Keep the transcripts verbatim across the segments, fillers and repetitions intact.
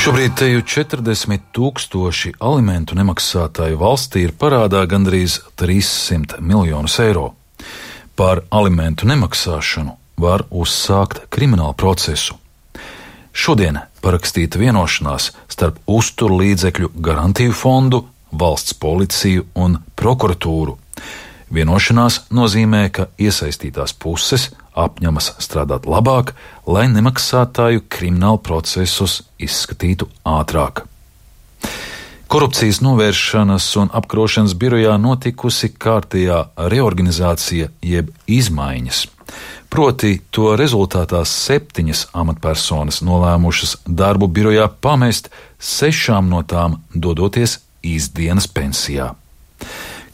Šobrīd teju četrdesmit tūkstoši alimentu nemaksātāju valstī ir parādā gandrīz trīssimt miljonus eiro. Par alimentu nemaksāšanu var uzsākt kriminālu procesu. Šodien parakstīta vienošanās starp uzturlīdzekļu garantiju fondu, valsts policiju un prokuratūru. Vienošanās nozīmē, ka iesaistītās puses apņemas strādāt labāk, lai nemaksātāju kriminālu procesus izskatītu ātrāk. Korupcijas novēršanas un apkarošanas birojā notikusi kārtējā reorganizācija jeb izmaiņas. Proti, to rezultātā septiņas amatpersonas nolēmušas darbu birojā pamest, sešām no tām dodoties īsdienas pensijā.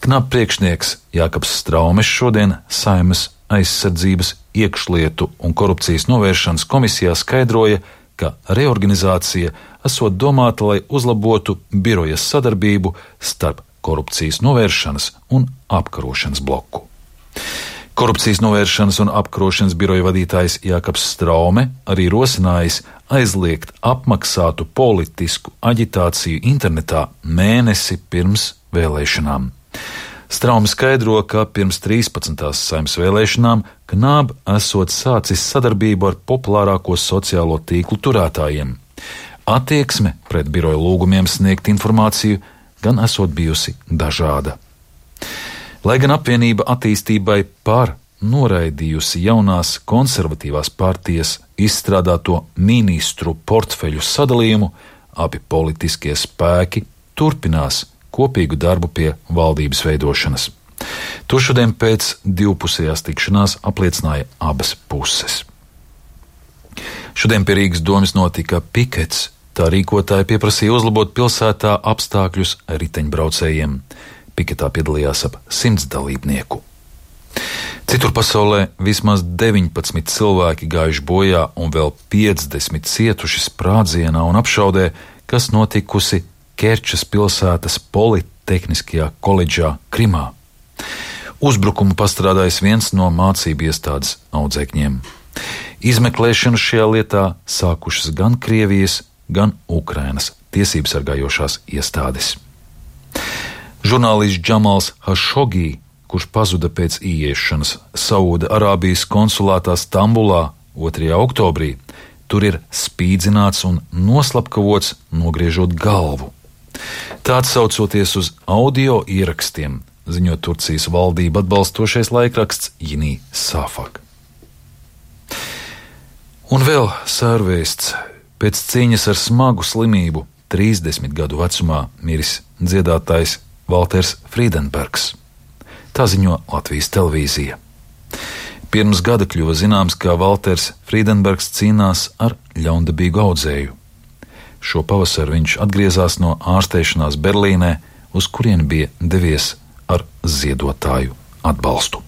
Knappriekšnieks Jākaps Straumes šodien Saeimas aizsardzības, iekšlietu un korupcijas novēršanas komisijā skaidroja, ka reorganizācija esot domāta, lai uzlabotu birojas sadarbību starp korupcijas novēršanas un apkarošanas bloku. Korupcijas novēršanas un apkarošanas biroja vadītājs Jākaps Straume arī rosinājis aizliegt apmaksātu politisku aģitāciju internetā mēnesi pirms vēlēšanām. Straume skaidro, ka pirms trīspadsmitās Saeimas vēlēšanām Knāb esot sācis sadarbību ar populārāko sociālo tīklu turētājiem. Attieksme pret biroja lūgumiem sniegt informāciju gan esot bijusi dažāda. Lai gan apvienība attīstībai par noraidījusi jaunās konservatīvās partijas izstrādāto ministru portfeļu sadalījumu, abi politiskie spēki turpinās kopīgu darbu pie valdības veidošanas. To šodien pēc divpusējās tikšanās apliecināja abas puses. Šodien pie Rīgas domes notika pikets. Tā rīkotāji pieprasīja uzlabot pilsētā apstākļus riteņbraucējiem. Piketā piedalījās ap simts dalībnieku. Citur pasaulē vismaz deviņpadsmit cilvēki gājuši bojā un vēl piecdesmit cietuši sprādzienā un apšaudē, kas notikusi Kerčas pilsētas Politehniskajā koledžā Krimā. Uzbrukumu pastrādājis viens no mācību iestādes audzēkņiem. Izmeklēšanu šajā lietā sākušas gan Krievijas, gan Ukrainas tiesības sargājošās iestādes. Žurnālists Džamals Hašogī, kurš pazuda pēc ieiešanas Saūda Arābijas konsulātā Stambulā otrajā oktobrī, tur ir spīdzināts un noslapkavots, nogriežot galvu. Tā atsaucoties uz audio ierakstiem, ziņo Turcijas valdību atbalstošais laikraksts Yeni Safak. Un vēl sērvēsts. Pēc cīņas ar smagu slimību trīsdesmit gadu vecumā miris dziedātājs Valters Frīdenbergs. Tā ziņo Latvijas televīzija. Pirms gada kļuva zināms, ka Valters Frīdenbergs cīnās ar ļaundabīgu audzēju. Šo pavasaru viņš atgriezās no ārstēšanās Berlīnē, uz kurieni bija devies ar ziedotāju atbalstu.